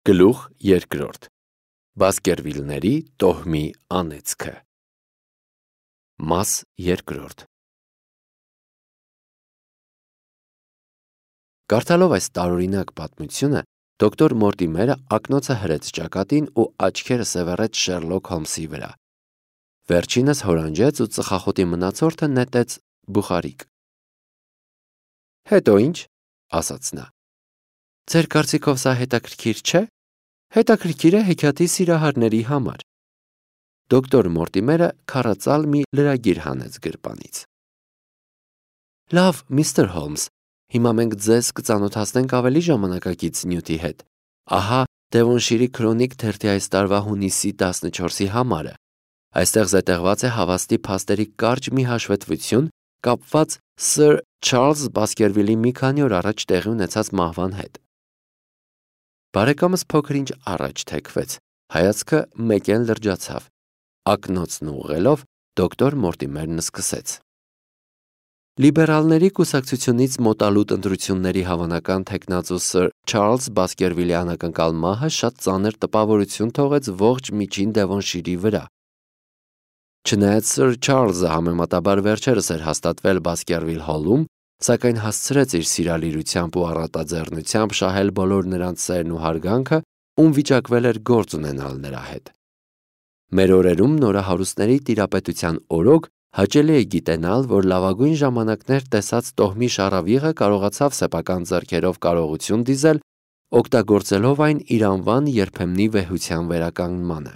Գլուխ երկրորդ Բասկերվիլների տոհմի անեծքը Մաս երկրորդ Կարդալով այս տարօրինակ պատմությունը, դոկտոր Մորտիմերը ակնոցը հրեց ճակատին ու աչքերը սևեռեց Շերլոք Հոլմսի վրա։ Վերջինս հորանջեց ու ծխախոտի մնացորդը նետեց բուխարիկ։ Հետո ինչ, ասաց նա։ Ձեր կարծիքով սա հետաքրքիր չէ։ Հետաքրքիր է հեքիաթի սիրահարների համար։ Դոկտոր Մորտիմերը քառածալ մի լրագիր հանեց գրպանից։ Լավ, միստր Հոլմս, հիմա մենք ձեզ կծանոթացնենք ավելի ժամանակակից նյութի հետ։ Ահա Դևոնշիրի քրոնիկ թերթի այս տարվա հունիսի 14-ի համարը։ Այստեղ զետեղված է հավաստի փաստերի կարճ մի հաշվետվություն կապված Սր Չարլզ Բասկերվիլի մի քանի օր առաջ տեղի ունեցած մահվան հետ։ Բարեկամս փոքր-ինչ առաջ թեքվեց, հայացքը մեկեն լրջացավ։ Ակնոցն ուղղելով դոկտոր Մորտիմերն սկսեց. Լիբերալների կուսակցությունից մոտալուտ ընտրությունների հավանական թեկնածու Սր Չարլզ Բասկերվիլի անակնկալ մահը շատ ծանր տպավորություն թողեց ողջ միջին Դևոնշիրի վրա։ Չնայած Սր Չարլզը համեմատաբար վերջերս էր հաստատվել Բասկերվիլ հոլում, սակայն հասցրեց իր սիրալիրությամբ ու առատաձեռնությամբ շահել բոլոր նրանց սերն ու հարգանքը, ում վիճակվել էր գործ ունենալ նրա հետ։ Մեր օրերում նորահարուստների տիրապետության օրոք հաճելի է գիտենալ, որ լավագույն ժամանակներ տեսած տոհմի շառավիղը կարողացավ սեփական ձեռքերով կարողություն դիզել, օգտագործելով այն իր անվան երբեմնի վեհության վերականգնմանը։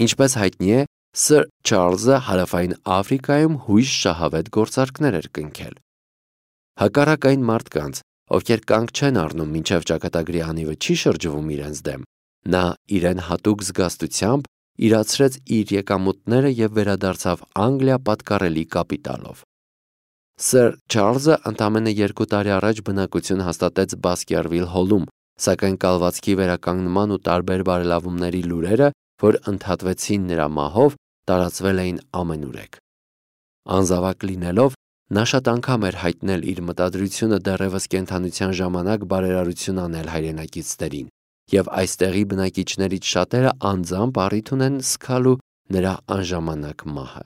Ինչպես հայտնի է, Սր Չարլզը Հարավային Աֆրիկայում հույժ շահավետ գործարքներ էր կնքել։ Հակառակ այն մարդկանց, ովքեր կանգ չեն առնում մինչև ճակատագրի անիվը չի շրջվում իրենց դեմ, նա իրեն հատուկ զգաստությամբ իրացրեց իր եկամուտները և վերադարձավ Անգլիա պատկառելի կապիտալով։ Սր Չարլզը ընդամենը 2 տարի առաջ բնակություն հաստատեց Բասկերվիլ հոլում, սակայն կալվածքի վերականգնման ու տարբեր բարելավումների լուրերը, որ ընդհատվեցին նրա մահով, տարածվել էին ամենուրեք։ Անզավակ լինելով, նա շատ անգամ էր հայտնել իր մտադրությունը դեռևս կենդանության ժամանակ բարերարություն անել հայրենակիցներին, և այստեղի բնակիչներից շատերը անձամբ առիթ ունեն զգալու նրա անժամանակ մահը։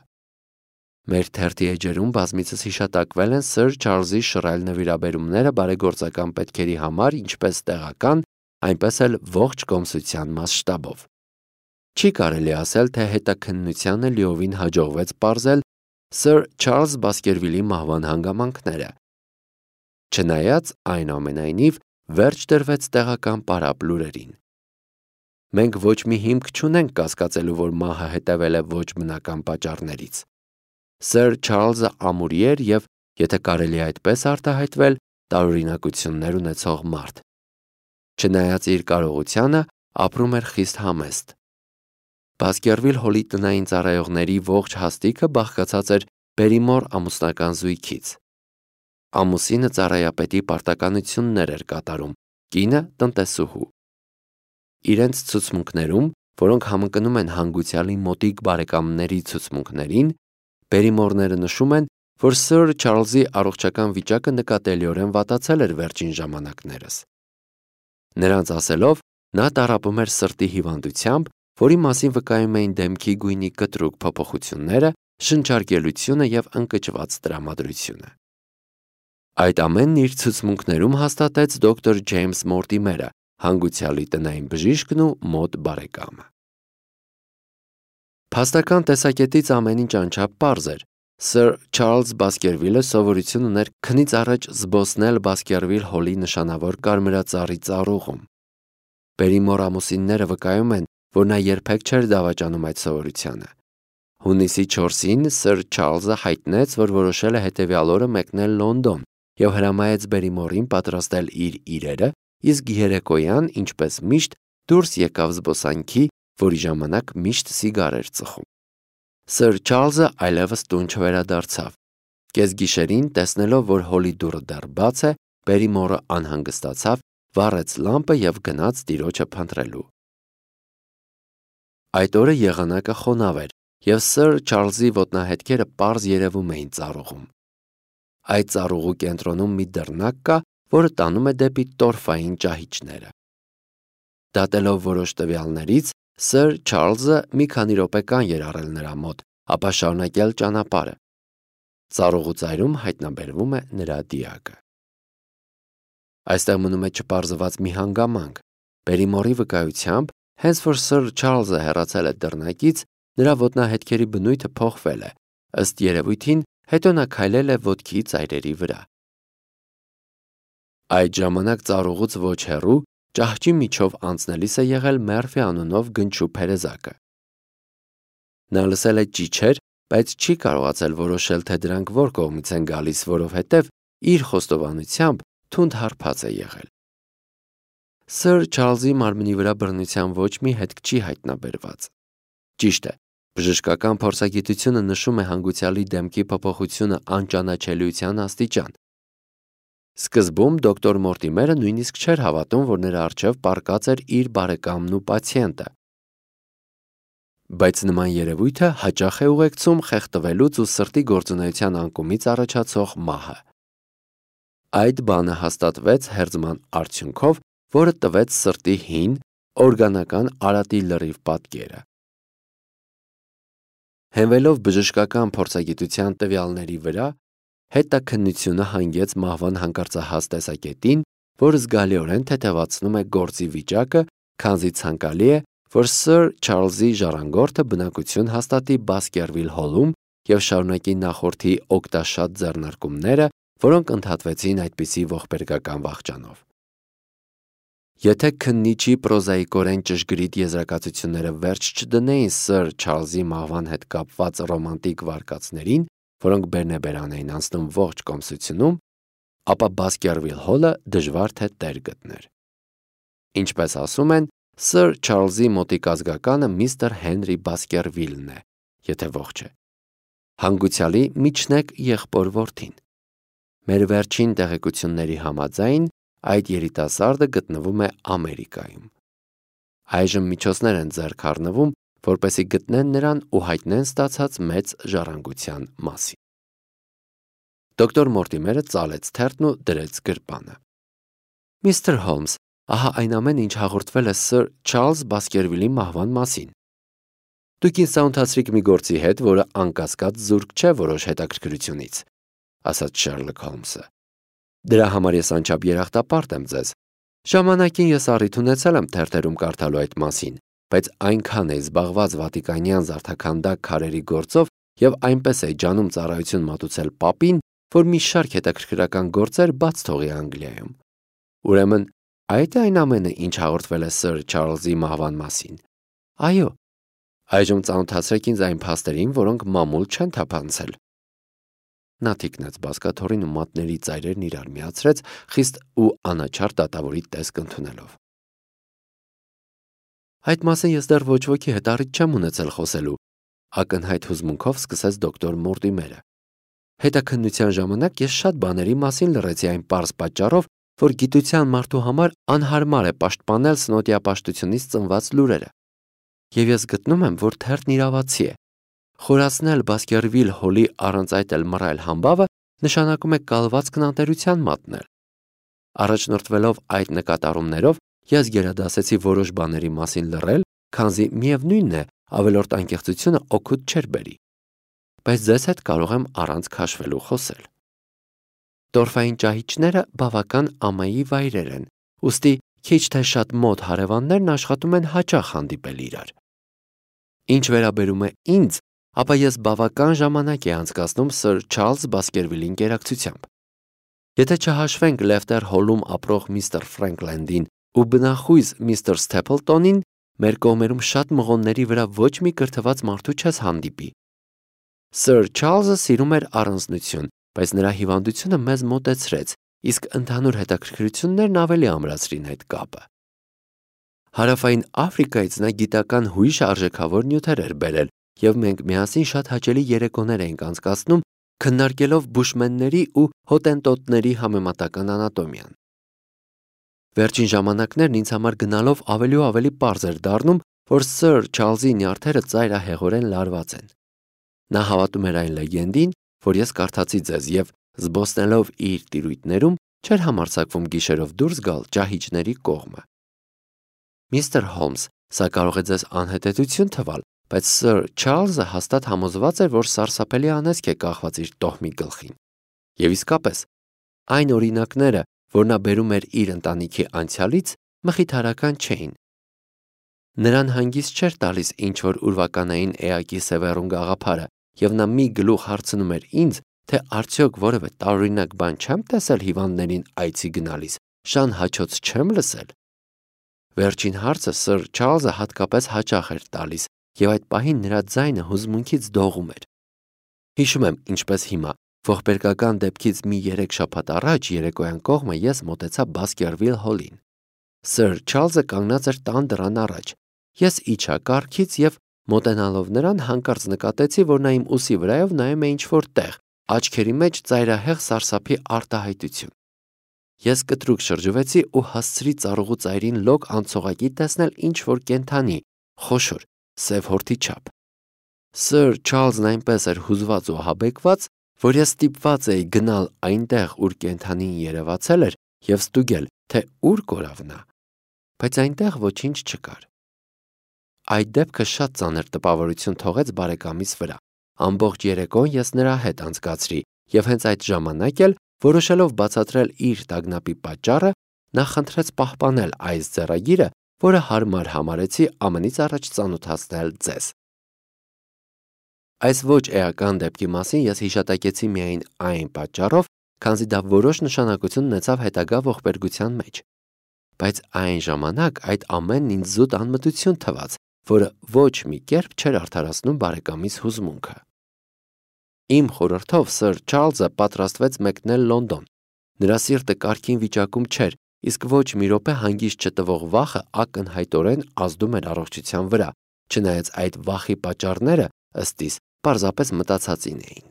Մեր թերթի էջերում բազմիցս հիշատակվել են Սր Չարլզի շռայլ նվիրաբերումները բարեգործական պետքերի համար ինչպես տեղական, այնպես էլ ողջ կոմսության մասշտաբով։ Չի կարելի ասել, թե հետաքննությանը լիովին հաջողվեց պարզել Սր Չարլզ Բասկերվիլի մահվան հանգամանքները։ Չնայած այնուամենայնիվ վերջ դրվեց տեղական պարապ լուրերին։ Մենք ոչ մի հիմք չունենք կասկածելու, որ մահը հետևել է ոչ բնական պատճառներից։ Սր Չարլզը ամուրի էր և, եթե կարելի է այդպես արտահայտվել, տարօրինակություններ ունեցող մարդ։ Չնայած իր կարողությանը, ապրում էր խիստ համեստ։ Բասկերվիլ հոլի տնային ծառայողների ողջ հաստիքը բաղկացած էր Բերիմոր ամուսնական զույգից։ Ամուսինը ծառայապետի պարտականություններ էր կատարում, կինը տնտեսուհու։ Իրենց ցուցմունքներում, որոնք համընկնում են հանգուցյալի մոտիկ բարեկամների ցուցմունքներին, Բերիմորները նշում են, որ Սր Չարլզի առողջական վիճակը նկատելիորեն վատացել էր վերջին ժամանակներս։ Նրանց ասելով, նա տառապում էր սրտի հիվանդությամբ, որի մասին վկայում էին դեմքի գույնի կտրուկ փոփոխությունները, շնչարգելությունը և ընկճված տրամադրությունը։ Այդ ամենն իր ցուցմունքներում հաստատեց դոկտոր Ջեյմս Մորտիմերը, հանգուցյալի տնային բժիշկն ու մոտ բարեկամը։ Փաստական տեսակետից ամեն ինչ անչափ պարզ էր։ Սր Չարլզ Բասկերվիլը սովորություն ուներ քնից առաջ զբոսնել Բասկերվիլ հոլի նշանավոր կարմրածառի ծառուղում։ Բերիմոր ամուսինները վկայում են, որ նա երբեք չէր դավաճանում այդ սովորությանը։ Հունիսի 4-ին Սր Չարլզը հայտնեց, որ որոշել է հետևյալ օրը մեկնել Լոնդոն և հրամայեց Բերիմորին պատրաստել իր իրերը, իսկ երեկոյան, ինչպես միշտ, դուրս եկավ զբոսանքի, որի ժամանակ միշտ սիգար էր ծխում։ Սր Չարլզը այլևս տուն չվերադարձավ։ Կեսգիշերին, տեսնելով, որ հոլի դուռը դեռ բաց է, Բերիմորը անհանգստացավ, վառեց լամպը և գնաց տիրոջը փնտրելու։ Այդ օրը եղանակը խոնավ էր, և Սր Չարլզի ոտնահետքերը պարզ երևում էին ծառուղում։ Այդ ծառուղու կենտրոնում մի դռնակ կա, որը տանում է դեպի տորֆային ճահիճները։ Դատելով որոշ տվյալներից, Սըր Չարլզը մի քանի րոպե կան էր առել նրա մոտ, ապա շարունակել ճանապարհը։ Ծառուղու ծայրում հայտնաբերվում է նրա դիակը։ Այստեղ մնում է չպարզված մի հանգամանք։ Բերիմորի վկայությամբ, հենց որ Սըր Չարլզը հեռացել է դռնակից, նրա ոտնահետքերի բնույթը փոխվել է, ըստ երևույթին, հետո նա քայլել է ոտքի ծայրերի վրա։ Այդ ժամանակ ծառուղուց ոչ հեռու ճահճի միջով անցնելիս է եղել Մերֆի անունով գնչու փերեզակը։ Նա լսել է ճիչեր, բայց չի կարողացել որոշել, թե դրանք որ կողմից են գալիս, որովհետև իր խոստովանությամբ թունդ հարբած է եղել։ Սըր Չարլզի մարմնի վրա բռնության ոչ մի հետք չի հայտնաբերված։ Ճիշտ է, բժշկական փորձագիտությունը նշում է հանգուցյալի դեմքի փոփոխությունը անճանաչելիության աստիճան։ Սկզբում դոկտոր Մորտիմերը նույնիսկ չէր հավատում, որ նրա առջև պառկած էր իր բարեկամն ու պացիենտը։ Բայց նման երևույթը հաճախ է ուղեկցում խեղդվելուց ու սրտի գործունեության անկումից առաջացող մահը։ Այդ բանը հաստատվեց հերձման արդյունքով, որը տվեց սրտի հին, օրգանական արատի լրիվ պատկերը։ Հենվելով բժշկական փորձագիտության տվյալների վրա, հետաքննությունը հանգեց մահվան հանկարծահաս տեսակետին, որը զգալիորեն թեթևացնում է գործի վիճակը, քանզի ցանկալի է, որ Սըր Չարլզի ժառանգորդը բնակություն հաստատի Բասկերվիլ հոլում և շարունակի նախորդի օգտաշատ ձեռնարկումները, որոնք ընդհատվեցին այդպիսի ողբերգական վախճանով։ Եթե քննիչի պրոզաիկորեն ճշգրիտ եզրակացությունները վերջ չդնեին Սըր Չարլզի մահվան հետ կապված ռոմանտիկ վարկածներին, որոնք բերնեբերան էին անցնում ողջ կոմսությունում, ապա Բասկերվիլ հոլը դժվար թե տեր գտներ։ Ինչպես ասում են, Սըր Չարլզի մոտիկ ազգականը միստր Հենրի Բասկերվիլն է, եթե ողջ է։ Հանգուցյալի միջնեկ եղբոր որդին։ Մեր վերջին տեղեկությունների համաձայն այդ երիտասարդը գտնվում է Ամերիկայում։ Այժմ միջոցներ են ձեռք առնվում, որպեսզի գտնեն նրան ու հայտնեն ստացած մեծ ժառանգության մասին։ Դոկտոր Մորտիմերը ծալեց թերթն ու դրեց գրպանը։ Միստր Հոլմս, ահա այն ամենը, ինչ հաղորդվել է Սըր Չարլզ Բասկերվիլի մահվան մասին։ Դուք ինձ ծանոթացրիք մի գործի հետ, որը անկասկած զուրկ չէ որոշ հետաքրքրությունից, ասաց Շերլոկ Հոլմսը։ Դրա համար ես անչափ երախտապարտ եմ ձեզ։ Ժամանակին ես առիթ ունեցել եմ թերթերում կարդալու այդ մասին, բայց այնքան է զբաղված վատիկանյան զարդաքանդակ քարերի գործով եւ այնպես է ջանում ծառայություն մատուցել պապին, որ մի շարք հետաքրքրական գործեր բաց թողի Անգլիայում։ Ուրեմն, այդ է այն ամենը, ինչ հաղորդվել է Սըր Չարլզի մահվան մասին։ Այո, այժմ ծանոթացրեք ինձ այն փաստերին, որոնք մամուլ չեն թափանցել։ Նա թիկնեց բազկաթոռին ու մատների ծայրերն իրար միացրեց, խիստ ու անաչառ դատավորի տեսք ընդունելով։ Այդ մասին ես դեռ ոչ ոքի հետ առիթ չեմ ունեցել խոսելու, ակնհայտ հուզմունքով սկսեց դոկտոր Մորտիմերը։ Հետաքննության ժամանակ ես շատ բաների մասին լռեցի այն պարզ պատճառով, որ գիտության մարդու համար անհարմար է պաշտպանել սնոտիապաշտությունից ծնված լուրերը։ Եվ ես գտնում եմ, որ թերթն իրավացի է։ Խորացնել Բասկերվիլ հոլի առանց այդ էլ մռայլ համբավը նշանակում է կալվածքն անտերության մատնել։ Առաջնորդվելով այդ նկատառումներով, ես գերադասեցի որոշ բաների մասին լռել, քանզի միևնույնն է, ավելորդ անկեղծությունը օգուտ չէր բերի։ Բայց ձեզ հետ կարող եմ առանց քաշվելու խոսել։ Տորֆային ճահիճները բավական ամայի վայրեր են, ուստի քիչ թե շատ մոտ հարևաններն աշխատում են հաճախ հանդիպել իրար։ Ինչ վերաբերում է ինձ, ապա ես բավական ժամանակ եմ անցկացնում Սըր Չարլզ Բասկերվիլի ընկերակցությամբ։ Եթե չհաշվենք Լեֆտեր հոլում ապրող միստր Ֆրենքլենդին ու բնախույզ միստր Սթեփլտոնին, մեր կողմերում շատ մղոնների վրա ոչ մի կրթված մարդու չես հանդիպի։ Սըր Չարլզը սիրում էր առանձնություն, բայց նրա հիվանդությունը մեզ մոտեցրեց, իսկ ընդհանուր հետաքրքրություններն ավելի ամրացրին այդ կապը։ Հարավային Աֆրիկայից նա գիտական հույժ արժեքավոր նյութեր էր բերել, և մենք միասին շատ հաճելի երեկոներ էինք անցկացնում, քննարկելով բուշմենների ու հոտենտոտների համեմատական անատոմիան։ Վերջին ժամանակներն ինձ համար գնալով ավելի ու ավելի պարզ էր դառնում, որ Սըր Չարլզի նյարդերը ծայրահեղորեն լարված են։ Նա հավատում էր այն լեգենդին, որ ես կարդացի ձեզ, և զբոսնելով իր տիրույթներում չէր համարձակվում գիշերով դուրս գալ ճահիճների կողմը։ Միստր Հոլմս, սա կարող է ձեզ անհետեցություն թվալ, բայց Սըր Չարլզը հաստատ համոզված էր, որ սարսափելի անեծք է կախված իր տոհմի գլխին։ Եվ իսկապես, այն օրինակները, որ նա բերում էր իր ընտանիքի անցյալից, մխիթարական չէին։ Նրան հանգիստ չէր տալիս ինչ-որ ուրվականային էակի սևեռուն գաղափարը, և նա մի գլուխ հարցնում էր ինձ, թե արդյոք որևէ տարօրինակ բան չեմ տեսել հիվանդներին այցի գնալիս, շան հաչոց չեմ լսել։ Վերջին հարցը Սըր Չարլզը հատկապես հաճախ էր տալիս, և այդ պահին նրա ձայնը հուզմունքից դողում էր։ Հիշում եմ, ինչպես հիմա, ողբերգական դեպքից մի 3 շաբաթ առաջ երեկոյան կողմը ես մոտեցա Բասկերվիլ հոլին։ Սըր Չարլզը կանգնած էր տան դռան առաջ։ Ես իջա կառքից և մոտենալով նրան հանկարծ նկատեցի, որ նա իմ ուսի վրայով նայում է ինչ-որ տեղ, աչքերի մեջ ծայրահեղ սարսափի արտահայտություն։ Ես կտրուկ շրջվեցի ու հասցրի ծառուղու ծայրին լոկ անցողակի տեսնել ինչ-որ կենդանի, խոշոր, սև հորթի չափ։ Սըր Չարլզն այնպես էր հուզված ու ահաբեկված, որ ես ստիպված էի գնալ այնտեղ, ուր կենդանին երևացել էր, և ստուգել, թե ուր կորավ նա։ Բայց այնտեղ ոչինչ չկար։ Այդ դեպքը շատ ծանր տպավորություն թողեց բարեկամիս վրա։ Ամբողջ երեկոն ես նրա հետ անցկացրի, և հենց այդ ժամանակ էլ, որոշելով բացատրել իր տագնապի պատճառը, նա խնդրեց պահպանել այս ձեռագիրը, որը հարմար համարեցի ամենից առաջ ծանոթացնել ձեզ։ Այս ոչ էական դեպքի մասին ես հիշատակեցի միայն այն պատճառով, քանզի դա որոշ նշանակություն ունեցավ հետագա ողբերգության մեջ։ Բայց այն ժամանակ այդ ամենն ինձ զուտ անմտություն թվաց, որը ոչ մի կերպ չէր արդարացնում բարեկամիս հուզմունքը։ Իմ խորհրդով Սըր Չարլզը պատրաստվեց մեկնել Լոնդոն։ Նրա սիրտը կարգին վիճակում չէր, իսկ ոչ մի րոպե հանգիստ չտվող վախը ակնհայտորեն ազդում էր առողջության վրա, չնայած այդ վախի պատճառները, ըստ իս, պարզապես մտածածին էին։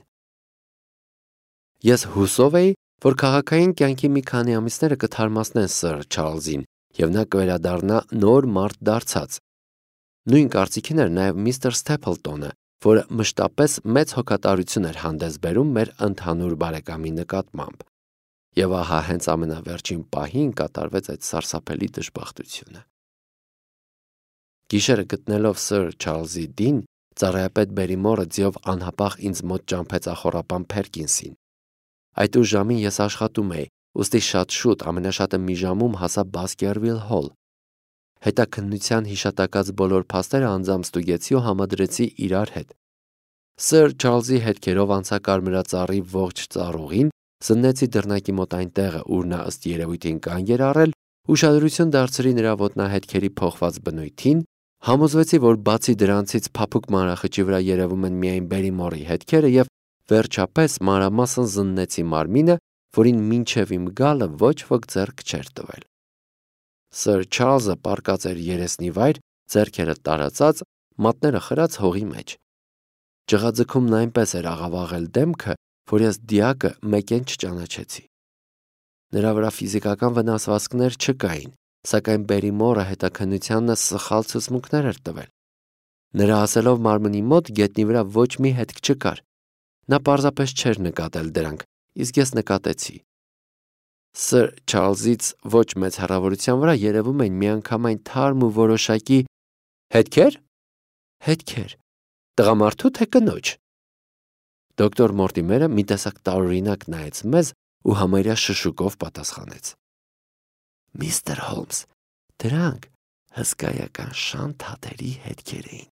Ես հուսով էի, որ քաղաքային կյանքի մի քանի ամիսները կթարմացնեն Սըր Չարլզին, և նա կվերադառնա նոր մարդ դարձած։ Նույն կարծիքին էր նաև միստր Սթեփլտոնը, որը մշտապես մեծ հոգատարություն էր հանդես բերում մեր ընդհանուր բարեկամի նկատմամբ։ Եվ ահա հենց ամենավերջին պահին կատարվեց այդ սարսափելի դժբախտությունը։ Գիշերը գտնելով Սըր Չարլզի դին, ծառայապետ Բերիմորը ձիով անհապաղ ինձ մոտ ճամփեց ախորապան Փերկինսին։ Այդ ուշ ժամին ես աշխատում էի, ուստի շատ շուտ, ամենաշատը մի ժամում հասա Բասկերվիլ հոլ։ Հետաքննության հիշատակած բոլոր փաստերը անձամբ ստուգեցի ու համադրեցի իրար հետ։ Սըր Չարլզի հետքերով անցա կարմրածառի ողջ ծառուղին, զննեցի դռնակի մոտ այն տեղը, ուր նա ըստ երևույթին կանգ էր առել, ուշադրություն դարձրի նրա ոտնահետքերի փոխված բնույթին, համոզվեցի, որ բացի դրանցից փափուկ մանրախճի վրա երևում են միայն Բերիմորի հետքերը և վերջապես մանրամասն զննեցի մարմինը, որին մինչև իմ գալը ոչ ոք ձեռք չէր տվել։ Սըր Չարլզը պառկած էր երեսնի վայր, ձեռքերը տարածած, մատները խրած հողի մեջ։ Ճղաձգումն այնպես էր աղավաղել դեմքը, որ ես դիակը մեկեն չճանաչեցի։ Նրա վրա ֆիզիկական վնասվածքներ չկային, սակայն Բերիմորը հետաքննությանն սխալ ցուցմունքներ էր տվել։ Նրա ասելով մարմնի մոտ գետնի վրա ոչ մի հետք չկար։ Նա պարզապես չէր նկատել դրանք, իսկ ես նկատեցի։ Սըր Չարլզից ոչ մեծ հեռավորության վրա երևում էին միանգամայն թարմ ու որոշակի հետքեր, տղամարդու թե կնոջ։ Դոկտոր Մորտիմերը մի տեսակ տարօրինակ նայեց մեզ ու համարյա շշուկով պատասխանեց. Միստր Հոլմս, դրանք հսկայական շան թաթերի հետքեր էին։